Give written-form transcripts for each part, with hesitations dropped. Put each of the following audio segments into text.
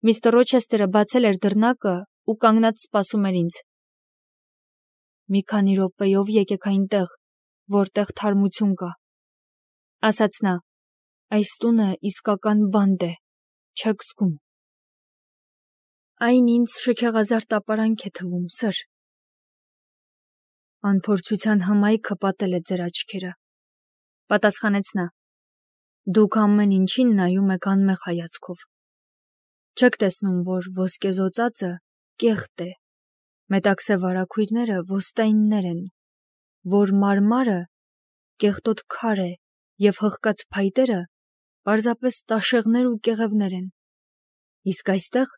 Միստր Ռոչեսթերը բացել էր դռնակը ու կանգնած սպասում էր ինձ։ «Մի քանի րոպեով եկեք այնտեղ, որտեղ թարմություն կա», ասաց նա։ «Այս տունը իսկական բանտ է, չեք զգում»։ Այն ինձ շքեղազարդ ապարանք է թվում, սըր։ Անփորձության հմայքը պատել է ձեր աչքերը, պատասխանեց նա։ Դուք ամեն ինչին նայում եք անմեղ հայացքով։ Չեք տեսնում, որ ոսկեզօծածը կեղտ է, մետաքսե վարագույրները ոստայիններ են, որ մարմարը կեղտոտ քար է և հղկած փայտերը պարզապես տաշեղներ ու կեղևներ են։ Իսկ այստեղ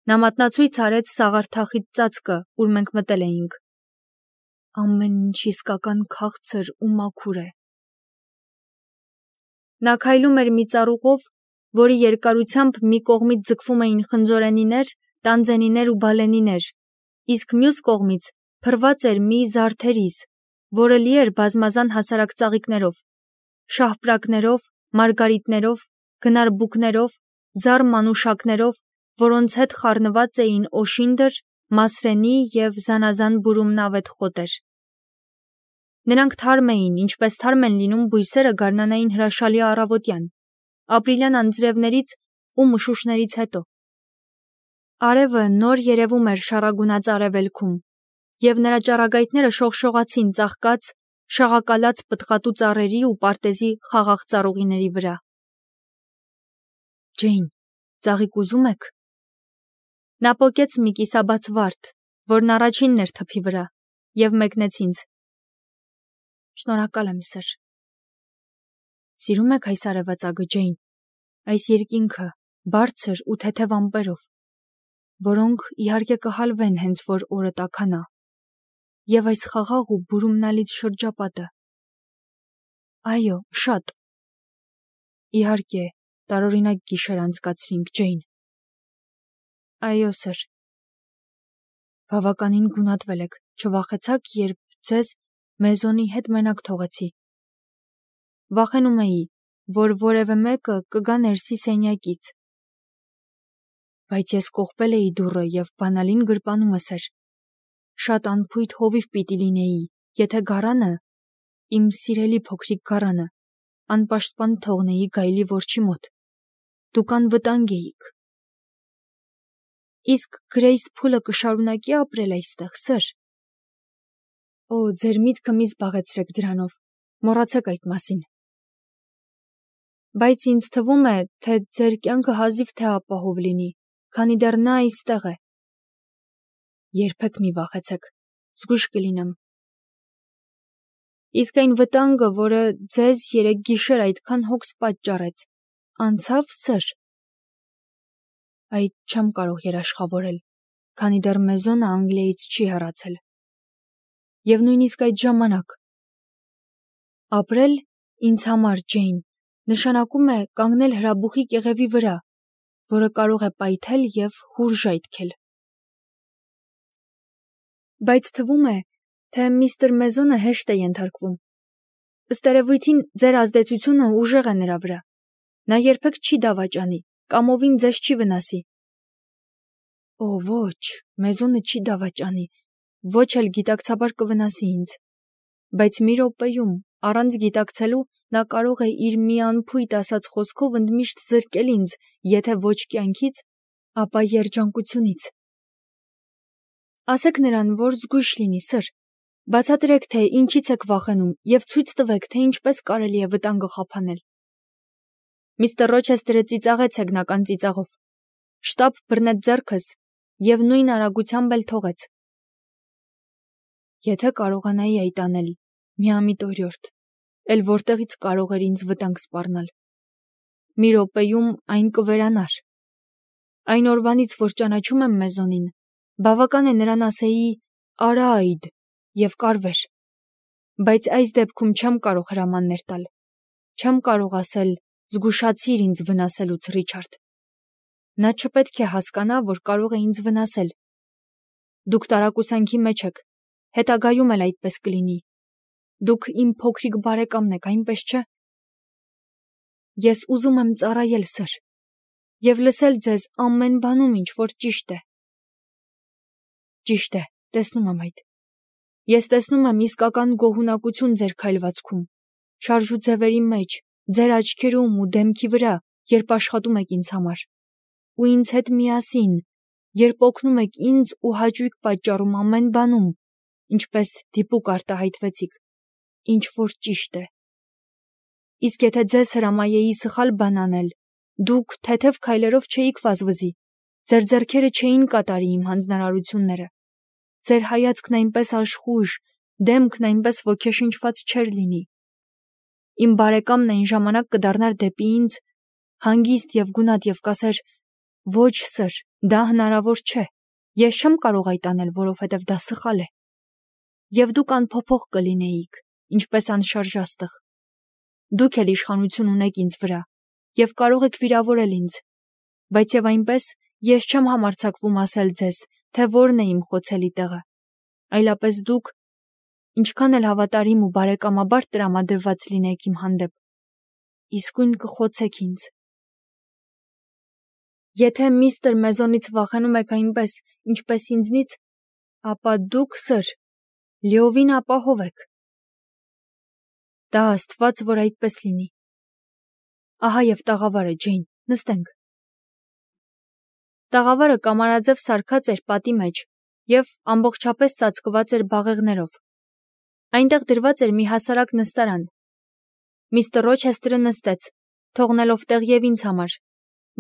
նա մատնացույց արեց սաղարթախիտ ծածկը, ուր մենք մտել էինք։ Ամեն ինչ իսկական քաղցր ու մաքուր է։ Նա քայլում էր մի ծառուղով, որի երկարությամբ մի կողմից ձգվում էին խնձորենիներ, տանձենիներ ու բալենիներ, իսկ մյուս կողմից փռված էր մի զարդերիս, որը լի էր բազմազան հասարակ ծաղիկներով, շահպրակներով, մարգարիտներով, գնարբուկներով, զառ մանուշակներով, որոնց հետ խառնված էին օշինդր, մասրենի և զանազան բուրումնավետ խոտեր։ Նրանք թարմ էին, ինչպես թարմ են լինում բույսերը գարնանային հրաշալի առավոտյան, ապրիլյան անձրևներից ու մշուշներից հետո։ Արևը նոր երևում էր շառագունած արևելքում, և նրա ճառագայթները շողշողացին ծաղկած, շաղակալած պտղատու ծառերի ու պարտեզի խաղաղ ծառուղիների վրա։ Ջեյն, ծաղիկ ուզում եք։ Նա պոկեց մի կիսաբաց վարդ, որն առաջինն էր թփի վրա, և մեկնեց ինձ։ Շնորհակալ եմ, սըր։ Սիրում եք այս արևածագը, Ջեյն, այս երկինքը, բարձր ու թեթև ամպերով, որոնք իհարկե կհալվեն հենց որ օրը տաքանա, և այս խաղաղ ու բուրումնալից շրջապատը։ Այո, շատ։ Իհարկե, տարօրինակ գիշեր անցկացրինք, Ջեյն։ Այո, սըր։ Բավականին գունատվել եք, չվախեցաք, երբ ձեզ Մեզոնի հետ մենակ թողեցի։ Վախենում էի, որ որևէ մեկը կգա ներսի սենյակից։ Բայց ես կողպել էի դուռը և բանալին գրպանումը, սըր։ Շատ անփույթ հովիվ պիտի լինեի, եթե գարանը, իմ սիրելի փոքրիկ գարանը, անպաշտպան թողնեի գայլի որջի մոտ։ Դուք անվտանգ էիք։ Իսկ Գրեյս Փուլը կշարունակի ապրել այստեղ, սըր։ Օ, ձեր միտքը մի զբաղեցրեք դրանով, մոռացեք այդ մասին։ Բայց ինձ թվում է, թե ձեր կյանքը հազիվ թե ապահով լինի, քանի դեռ նա այստեղ է։ Երբեք մի վախեցեք, զգույշ կլինեմ։ Իսկ այն վտանգը, որը ձեզ երեկ գիշեր այդքան հոգս պատճառեց, անցավ, սըր։ Այդ չեմ կարող երաշխավորել, քանի դեռ Մեզոնը Անգլիայից չի հեռացել։ Եվ նույնիսկ այդ ժամանակ։ Ապրել ինձ համար, Ջեյն, նշանակում է կանգնել հրաբուխի կեղևի վրա, որը կարող է պայթել և հուր ժայթքել։ Բայց թվում է, թե միստր Մեզոնը հեշտ է ենթարկվում։ Ըստ երևույթին, ձեր ազդեցությունը ուժեղ է նրա վրա։ Նա երբեք չի դավաճանի, կամովին ձեզ չի վնասի։ Օ, ոչ, Մեզոնը չի դավաճանի, ոչ էլ գիտակցաբար կվնասի ինձ։ Բայց մի րոպեում, առանց գիտակցելու, նա կարող է իր մի անփույթ ասած խոսքով ընդմիշտ զրկել ինձ, եթե ոչ կյանքից, ապա երջանկությունից։ Ասեք նրան, որ զգույշ լինի, սըր։ Բացատրեք, թե ինչից եք վախենում և ցույց տվեք, թե ինչպես կարելի է վտանգը խափանել։ Միստր Ռոչեսթերը ծիծաղեց հեգնական ծիծաղով, շտապ բռնեց ձեռքս և նույն արագությամբ էլ թողեց։ Եթե կարողանայի այդ անել, միամիտ օրիորդ, էլ որտեղից կարող էր ինձ վտանգ սպառնալ։ Մի րոպեում այն կվերանար։ Այն օրվանից, որ ճանաչում եմ Մեզոնին, բավական է նրան ասեի «արա այդ» և կարվեր։ Բայց այս դեպքում չեմ կարող հրամաններ տալ։ Չեմ կարող ասել «զգուշացիր ինձ վնասելուց, Ռիչարդ»։ Նա չպետք է հասկանա, որ կարող է ինձ վնասել։ Դուք տարակուսանքի մեջ եք, հետագայում էլ այդպես կլինի։ Դուք իմ փոքրիկ բարեկամն եք, այնպես չէ։ Ես ուզում եմ ծառայել, սըր։ և լսել ձեզ ամեն բանում, ինչ որ ճիշտ է։ Ճիշտ է, տեսնում եմ այդ։ Ես տեսնում եմ իսկական գոհունակություն ձեր քայլվածքում, շարժուձևերի մեջ, ձեր աչքերում ու դեմքի վրա, երբ աշխատում եք ինձ համար, ու ինձ հետ միասին, երբ օգնում եք ինձ ու հաճույք պատճառում ամեն բանում, ինչպես դիպուկ արտահայտվեցիք, ինչ որ ճիշտ է։ Իսկ եթե ձեզ հրամայեի սխալ բան անել, դուք թեթև քայլերով չէիք վազվզի, ձեր ձեռքերը չէին կատարի իմ հանձնարարությունները, ձեր հայացքն այնպես աշխույժ, դեմքն այնպես ոգեշնչված չէր լինի։ Իմ բարեկամն այն ժամանակ կդառնար դեպի ինձ, հանգիստ և գունատ և կասեր. «Ոչ, սըր, դա հնարավոր չէ, ես չեմ կարող այդ անել, որովհետև դա սխալ է»։ Եվ դուք անփոփոխ կլինեիք, ինչպես անշարժ աստղ։ Դուք էլ իշխանություն ունեք ինձ վրա, և կարող եք վիրավորել ինձ, բայց և այնպես ես չեմ համարձակվում ասել ձեզ, թե որն է իմ խոցելի տեղը, այլապես դուք, ինչքան էլ հավատարիմ ու բարեկամաբար տրամադրված լինեք իմ հանդեպ, իսկույն կխոցեք ինձ։ Եթե միստր մեզոնից վախենում եք այնպես, ինչպես ինձնից, ապա դուք, սըր, լիովին ապահով եք։ Տա Աստված, որ այդպես լինի։ Ահա և տաղավարը, Ջեյն, նստենք։ Տաղավարը կամարաձև սարքած էր պատի մեջ և ամբողջապես ծածկված էր բաղեղներով։ Այնտեղ դրված էր մի հասարակ նստարան։ Միստր Ռոչեսթերը նստեց, թողնելով տեղ և ինձ համար,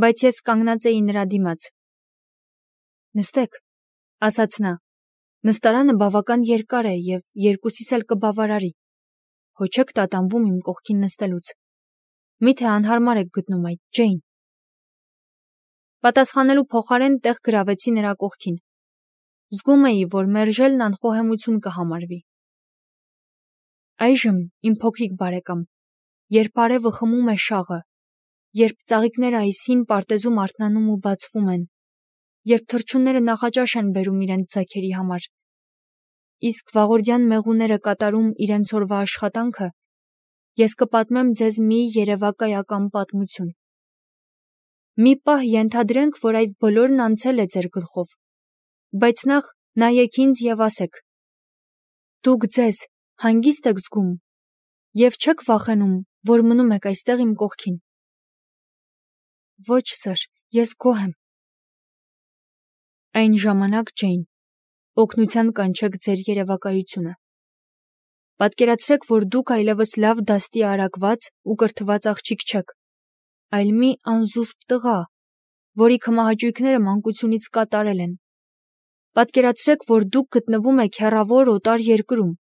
բայց ես կանգնած էի նրա դիմաց։ Նստեք, ասաց նա, նստարանը բավական երկար է և երկուսիս էլ կբավարարի։ Հո չեք տատանվում իմ կողքին նստելուց։ Միթե անհարմար եք գտնում այդ, Ջեյն։ Պատասխանելու փոխարեն տեղ գրավեցի նրա կողքին։ Զգում էի, որ մերժելն անխոհեմություն կհամարվի։ Այժմ, իմ փոքրիկ բարեկամ, երբ արևը խմում է շաղը, երբ ծաղիկները այս հին պարտեզում արթնանում ու բացվում են, երբ թռչունները նախաճաշ են բերում իրենց ձագերի համար, իսկ վաղորդյան մեղուները կատարում իրենց օրվա աշխատանքը, ես կպատմեմ ձեզ մի երևակայական պատմություն։ Մի պահ ենթադրենք, որ այդ բոլորն անցել է ձեր գլխով, բայց նախ նայեք ինձ և ասեք. դուք ձեզ հանգիստ եք զգում և չեք վախենում, որ մնում եք այստեղ իմ կողքին։ Ոչ, սըր, ես գոհ եմ։ Այն ժամանակ, Ջեյն, օգնության կանչեք ձեր երևակայությունը։ Պատկերացրեք, որ դուք այլևս լավ դաստի արագված ու կրթված աղջիկ չեք, այլ մի անզուսպ տղա, որի քմահաճույքները մանկությունից կատարել են։ Պատկերացրեք, որ դուք գտնվում եք հեռավոր օտար երկրում։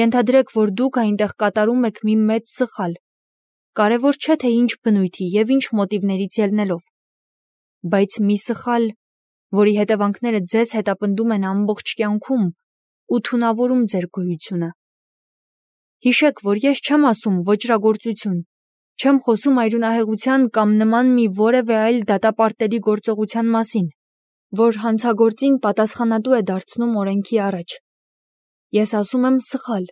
Ենթադրեք, որ դուք այնտեղ կատարում եք մի մեծ սխալ, կարևոր չէ, թե ինչ բնույթի և ինչ մոտիվներից ելնելով, բայց մի սխալ, որի հետևանքները ձեզ հետապնդում են ամբողջ կյանքում ու թունավորում ձեր գոյությունը։ Հիշեք, որ ես չեմ ասում ոճրագործություն, չեմ խոսում այրունահեղության կամ նման մի որևէ այլ դատապարտելի գործողության մասին, որ հանցագործին պատասխանատու է դարձնում օրենքի առաջ։ Ես ասում եմ սխալ։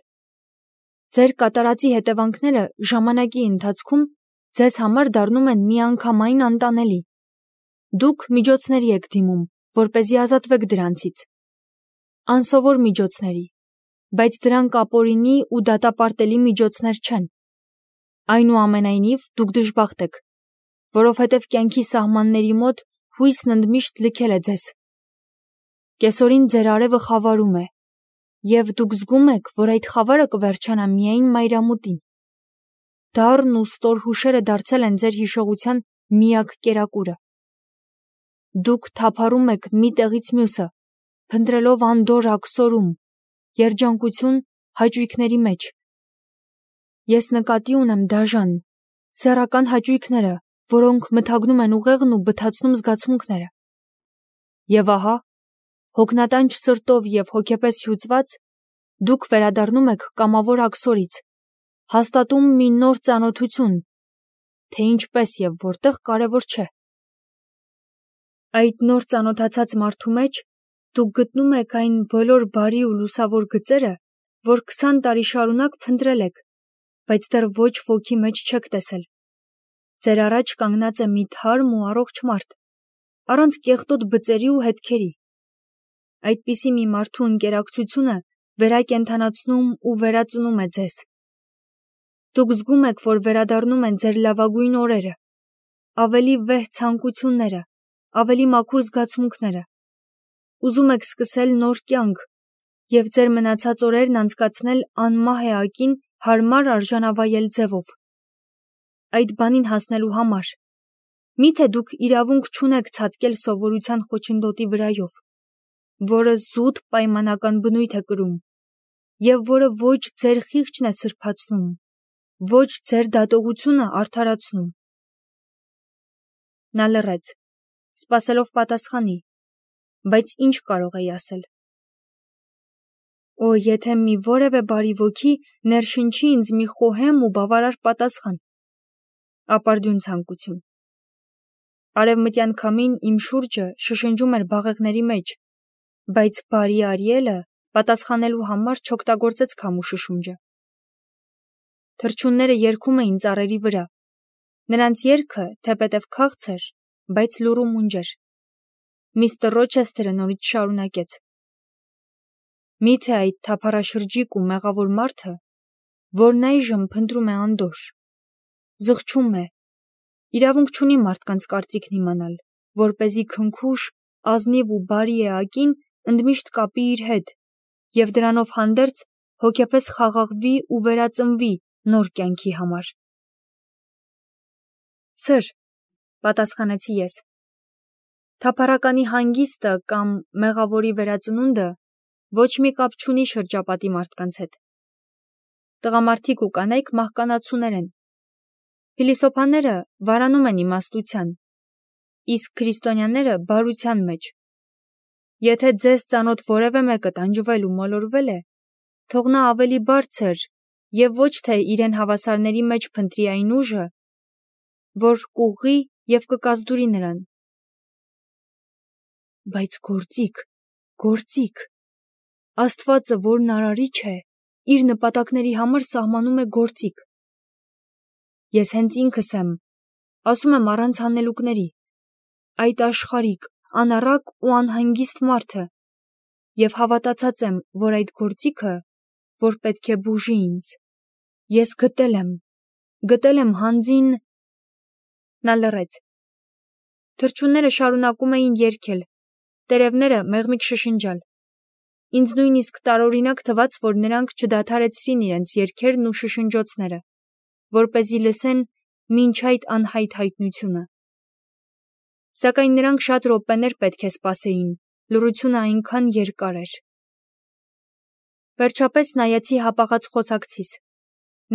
Ձեր կատարածի հետևանքները ժամանակի ընթացքում ձեզ համար դառնում են միանգամայն անտանելի։ Դուք միջոցների եք դիմում, որպեսզի ազատվեք դրանցից։ Անսովոր միջոցների, բայց դրանք ապօրինի ու դատապարտելի միջոցներ չեն։ Այնուամենայնիվ, դուք դժբախտ եք, որովհետև կյանքի սահմանների մոտ հույսն ընդմիշտ լքել է ձեզ։ Կեսօրին ձեր արևը խավարում է, և դուք զգում եք, որ այդ խավարը կվերջանա միայն մայրամուտին։ Դառն ու ստոր հուշերը դարձել են ձեր հիշողության միակ կերակուրը։ Դուք թափառում եք մի տեղից մյուսը, փնտրելով անդորր աքսորում, երջանկություն հաճույքների մեջ։ Ես նկատի ունեմ դաժան, սեռական հաճույքները, որոնք մթագնում են ուղեղն ու բթացնում զգացմունքները։ Եվ ահա, հոգնատանջ սրտով և հոգեպես հյուծված, դուք վերադառնում եք կամավոր աքսորից, հաստատում մի նոր ծանոթություն, թե ինչպես և որտեղ կարևոր չէ։ Այդ նոր ծանոթացած մարդու մեջ դուք գտնում եք այն բոլոր բարի ու լուսավոր գծերը, որ 20 տարի շարունակ փնտրել եք, բայց դեռ ոչ ոքի մեջ չեք տեսել։ Ձեր առաջ կանգնած է մի թարմ ու առողջ մարդ, առանց կեղտոտ բծերի ու հետքերի։ Այդպիսի մի մարդու ընկերակցությունը վերակենդանացնում ու վերածնում է ձեզ։ Դուք զգում եք, որ վերադառնում են ձեր լավագույն օրերը, ավելի վեհ ցանկությունները, ավելի մաքուր զգացմունքները։ Ուզում եք սկսել նոր կյանք և ձեր մնացած օրերն անցկացնել անմահ էակին հարմար արժանավայել ձևով։ Այդ բանին հասնելու համար միթե դուք իրավունք չունեք ցատկել սովորության խոչընդոտի վրայով, որը զուտ պայմանական բնույթ է կրում և որը ոչ ձեր խիղճն է սրբացնում, ոչ ձեր դատողությունը արդարացնում։ Նա լռեց, սպասելով պատասխանի, բայց ինչ կարող էի ասել։ Օ, եթե մի որևէ բարի ոգի ներշնչի ինձ մի խոհեմ ու բավարար պատասխան։ Ապարդյուն ցանկություն։ Արևմտյան քամին իմ շուրջը շշնջում էր բաղեղների մեջ, բայց բարի Արիելը պատասխանելու համար չօգտագործեց քամու շշունջը։ Թռչունները երգում էին ծառերի վրա։ Նրանց երգը թեպետև քաղցր, բայց լուռ ու մունջ էր։ Միստր Ռոչեսթերը նորից շարունակեց. Միթե այդ թափառաշրջիկ ու մեղավոր մարդը, որն այժմ փնտրում է անդորր, զղջում է, իրավունք չունի մարդկանց կարծիքն իմանալ, որպեսզի քնքուշ, ազնիվ ու բարի էակին ընդմիշտ կապի իր հետ և դրանով հանդերձ հոգեպես խաղաղվի ու վերածնվի նոր կյանքի համար։ Սըր, պատասխանեցի ես, թափառականի հանգիստը կամ մեղավորի վերածնունդը ոչ մի կապ չունի շրջապատի մարդկանց հետ։ Տղամարդիկ ու կանայք մահկանացուներ են։ Փիլիսոփաները վարանում են իմաստության, իսկ քրիստոնյաները բարության մեջ։ Եթե ձեզ ծանոթ որևէ մեկը տանջվել ու մոլորվել է, թող նա ավելի բարձր և ոչ թե իրեն հավասարների մեջ փնտրի այն ուժը, որ կուղղի և կկազդուրի նրան։ Բայց գործիք, Աստվածը, որն արարիչ է, իր նպատակների համար սահմանում է գործիք։ Ես հենց ինքս եմ, ասում եմ առանց հանելուկների, այդ աշխարհիկ, անառակ ու անհանգիստ մարդը և հավատացած եմ, որ այդ գործիքը, որ պետք է բուժի ինձ, ես գտել եմ հանձին… Նա լռեց։ Թռչունները շարունակում էին երգել, տերևները մեղմիկ շշնջալ։ Ինձ նույնիսկ տարօրինակ թվաց, որ նրանք չդադարեցրին իրենց երգերն ու շշնջոցները, որպեսզի լսեն մինչ այդ անհայտ հայտնությունը։ Սակայն նրանք շատ րոպեներ պետք է սպասեին, լռությունը այնքան երկար էր։ Վերջապես նայեցի հապաղած խոսակցիս։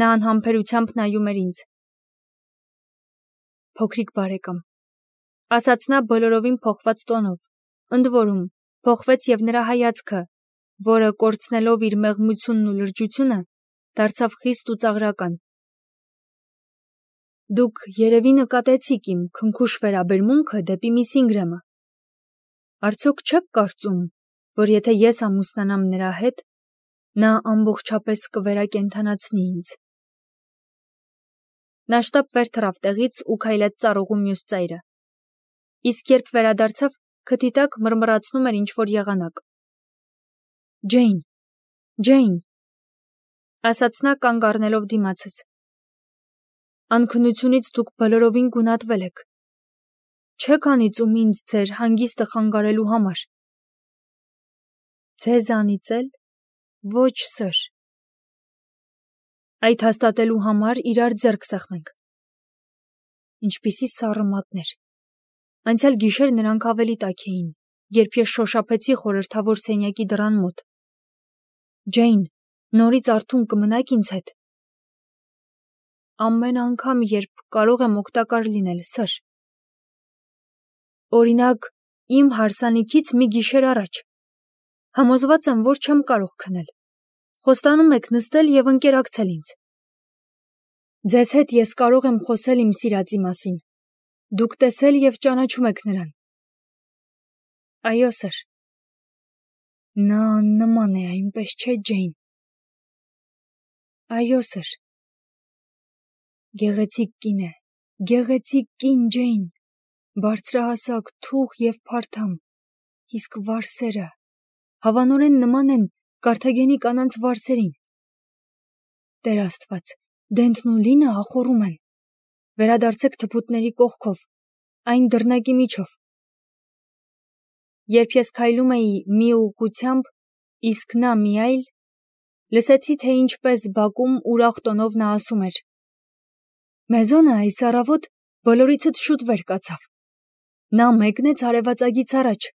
Նա անհամբերությամբ նայում էր ինձ։ Փոքրիկ բարեկամ, ասաց նա բոլորովին փոխված տոնով, ընդ որում փոխվեց և նրա հայացքը, որը կորցնելով իր մեղմությունն ու լրջությունը, դարձավ խիստ ու ծաղրական։ Դուք երևի նկատեցիք իմ քնքուշ վերաբերմունքը դեպի միս Ինգրեմը։ Արդյոք չեք կարծում, որ եթե ես ամուսնանամ նրա հետ, նա ամբողջապես կվերակենդանացնի ինձ։ Նա շտապ վեր թռավ տեղից ու քայլեց ծառուղու մյուս ծայրը։ Իսկ երբ վերադարձավ, քթի տակ մռմռացնում էր ինչ-որ եղանակ։ Ջեյն, ասաց նա կանգ առնելով դիմացս։ Անքնությունից դուք բոլորովին գունատվել եք։ Չեք անիծում ինձ ձեր հանգիստը խանգարելու համար։ Ձեզ անիծել։ Ոչ, սըր։ Այդ հաստատելու համար իրար ձեռք սեղմենք։ Ինչպիսի սառը մատներ։ Անցյալ գիշեր նրանք ավելի տաք էին, երբ ես շոշափեցի խորհրդավոր սենյակի դռան մոտ։ Ջեյն, նորից արթուն կմնաք ինձ հետ։ Ամեն անգամ, երբ կարող եմ օգտակար լինել, սըր։ Օրինակ, իմ հարսանիքից մի գիշեր առաջ։ Համոզված եմ, որ չեմ կարող քնել։ Խոստանում եք նստել և ընկերակցել ինձ։ Ձեզ հետ ես կարող եմ խոսել իմ սիրածի մասին։ Դուք տեսել և ճանաչում եք նրան։ Այո, սըր։ Նա աննման է, այնպես չէ, Ջեյն։ Այո, սըր։ Գեղեցիկ կին է, գեղեցիկ կին Ջեյն, բարձրահասակ, թուխ և փարթամ, իսկ վարսերը հավանորեն նման են Կարթագենի կանանց վարսերին։ Տեր Աստված, Դենթն ու Լինը ախոռում են։ Վերադարձեք թփուտների կողքով, այն դռնակի միջով։ Երբ ես քայլում էի մի ուղղությամբ, իսկ նա մի այլ, լսեցի, թե ինչպես բակում ուրախ տոնով նա ասում էր. «Մեզոնը այս առավոտ բոլորիցդ շուտ վեր կացավ։ Նա մեկնեց արևածագից առաջ։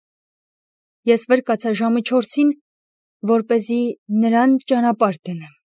Ես վեր կացա ժամը 4-ին, որպեսզի նրան ճանապարհ դնեմ»։